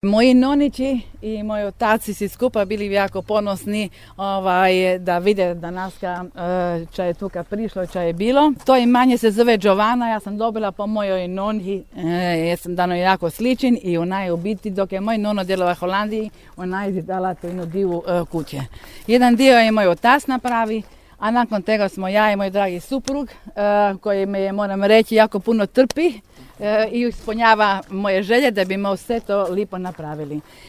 Moji nonići i moji otaci svi skupa bili jako ponosni da vide da naska če je tuka prišlo, če je bilo. To imanje se zove Giovanna, ja sam dobila po mojoj noni, ja sam dano jako sličen i ona je u biti dok je moj nono djelova u Holandiji, ona je dala tu jednu divu kuće. Jedan dio je moj otac napravi, a nakon tega smo ja i moj dragi suprug, koji me, moram reći, jako puno trpi i ispunjava moje želje da bi me sve to lipo napravili.